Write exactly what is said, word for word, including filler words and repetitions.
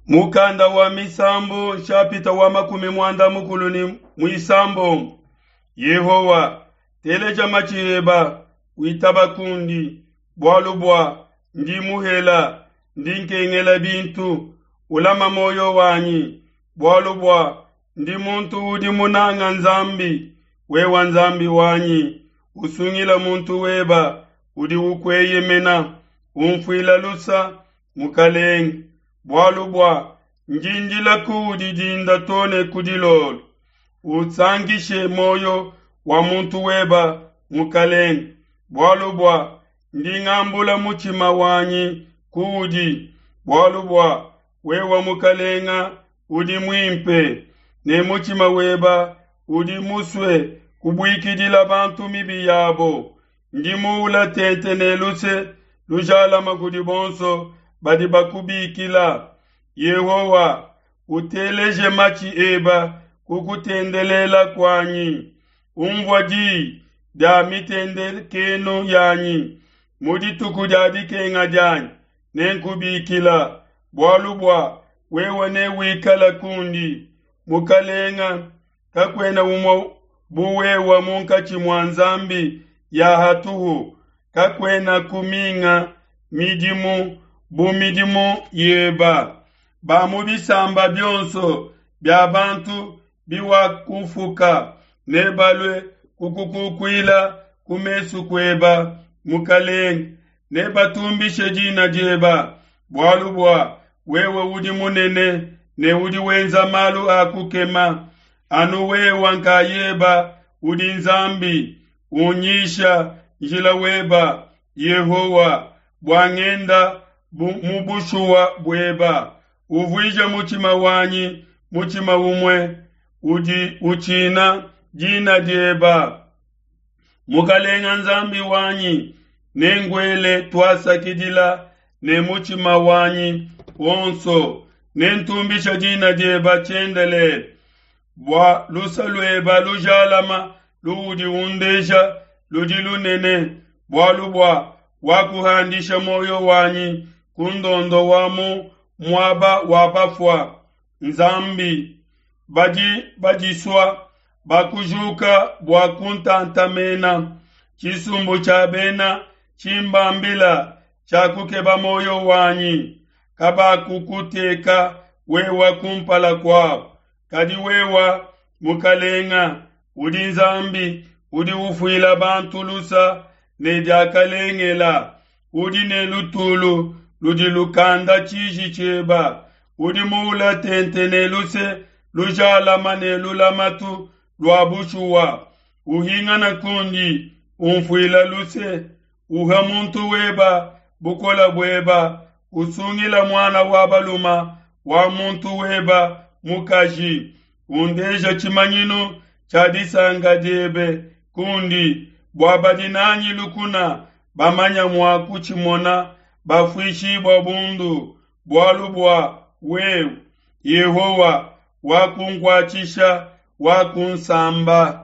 Mukanda wa Misambu nshapita wa makumi muanda mukulu ne muisambombo. Yehowa, teleja matshi eba, witaba kundi, bualu bua ndi muhela, ndi nkengela bintu. Ulama moyo wanyi, bualu bua ndi muntu udi munanga Nzambi. Wewa Nzambi wanyi, usungila muntu weba udi ukueyemena, umfuila lusa, Mukalenge, bualu bua ndi ndila kuudi dinda too ne ku dilolo. Usankishe moyo wa muntu weba, Mukalenge, bualu bua ndi ngambula mutshima wanyi kuudi, bualu bua wewa Mukalenga udi muimpe, ne mutshima weba udi musue kubuikidila bantu mibi yabo. Ndi muula tente ne luse lujalama kudi bonso badi bakubikila. Yehowa, uteleje matshi eba ku kutendelela kuanyi. Umvua diyi dia mitendekenu yanyi. Mu dituku dia dikenga dianyi nenkubikila, bualu bua wewe newikala kundi. Mukalenga, kakuena umue bu wewe munkatshi mua nzambi ya hatuhu, kakuena kuminga midimu bu midimu yeba. Ba mu bisamba bionso bia bantu biwakufuka nebalue kukukukuila ku mesu kueba, Mukalenge, nebatumbishe dina dieba, bualu bua wewe udi munene ne udi wenza malu a kukema. Anu wewe nkayeba udi Nzambi, unyisha njila weba, Yehowa, bua ngenda bu, mu bushuwa bueba. Uvuije mutshima wanyi mutshima umue udi utshina dina dieba. Mukalenga Nzambi wanyi, nenguele tuasakidila ne mutshima wanyi wonso, nentumbisha dina dieba tshiendelele. Bua lusa lueba lujalama luudi undeja ludi lunene, bualu bua wakuhandisha moyo wanyi ku ndondo wa mu muaba wa bafua. Nzambi, badi badisua bakujuka bua kuntantamena. Tshisumbu tshia bena tshimbambila tshiakukeba moyo wanyi, kabakukuteka wewa kumpala kuabo. Kadi wewa, Mukalenga, udi Nzambi udi ufuila bantu lusa ne diakalengela, udi ne lutulu ludi lukanda tshiji tshieba, udi muula tente ne luse lujalama ne lulamatu lua bushuwa. Uhingana kundi, umfuila luse, uha muntu weba bukola bueba, usungila muana wa baluma wa muntu weba mukaji, undeja tshimanyinu tshia disanka diebe kundi, bua badi nanyi lukuna bamanya mua kutshimona bafuishibua bundu, bualu bua wewe, Yehowa, wakunkuatshisha, wakunsamba.